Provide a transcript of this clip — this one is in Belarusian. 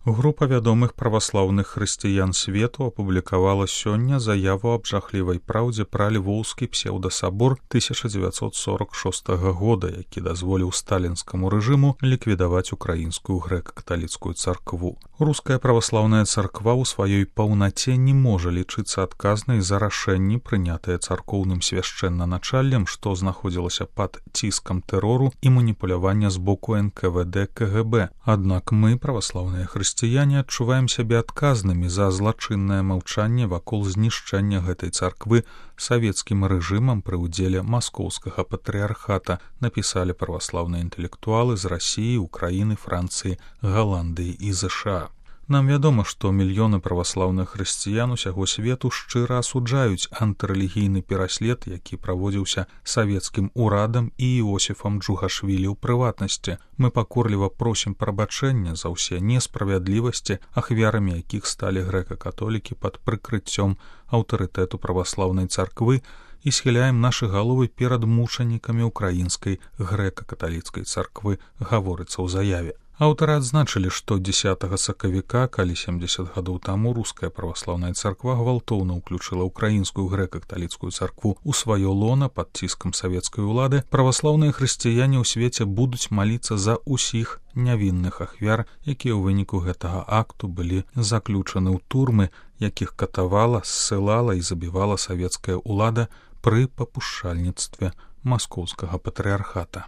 Група вядомых праваслаўных хрысціян свету апублікавала сёння заяву аб жахлівай праўдзе пра львоўскі псеўдасабор 1946 года, які дазволіў сталінскаму рэжыму ліквідаваць украінскую грэка-каталіцкую царкву. Руская праваслаўная царква ў сваёй паўнаце не можа лічыцца адказнай за рашэнні, прынятыя царкоўным свяшчэннаначаллем, што знаходзілася пад ціскам тэрору і маніпулявання з боку НКВД КГБ. Аднак мы, праваслаўныя хрысціяне, адчуваем сябе адказнымі за злачыннае маўчанне вакол знішчэння гэтай царквы савецкім рэжымам пры ўдзеле маскоўскага патрыархата, напісалі праваслаўныя інтэлектуалы з Расіі, Украіны, Францыі, Галандыі і ЗША. Нам вядома, што мільёны праваслаўных хрысціян усяго свету шчыра асуджаюць антырэлігійны пераслед, які праводзіўся савецкім урадам і Іосіфам Джугашвілі ў прыватнасці. Мы пакорліва просім прабачэння за ўсе несправядлівасці, ахвярамі якіх сталі грэка-католікі пад прыкрыццём аўтарытэту праваслаўнай царквы і схіляем нашы галовы перад мучанікамі украінскай грэка-каталіцкай царквы, гаворыцца ў заяве. Аўтары адзначылі, што 10 сакавіка, калі 70 гадоў таму руская праваслаўная царква гвалтоўна ўключыла ўкраінскую грэка-каталіцкую царкву ў сваё лона пад ціскам савецкай улады, праваслаўныя хрысціяне ў свеце будуць маліцца за ўсіх нявінных ахвяр, якія ў выніку гэтага акту былі заключаны ў турмы, якіх катавала, ссылала і забівала савецкая ўлада пры папушчальніцтве маскоўскага патрыархата.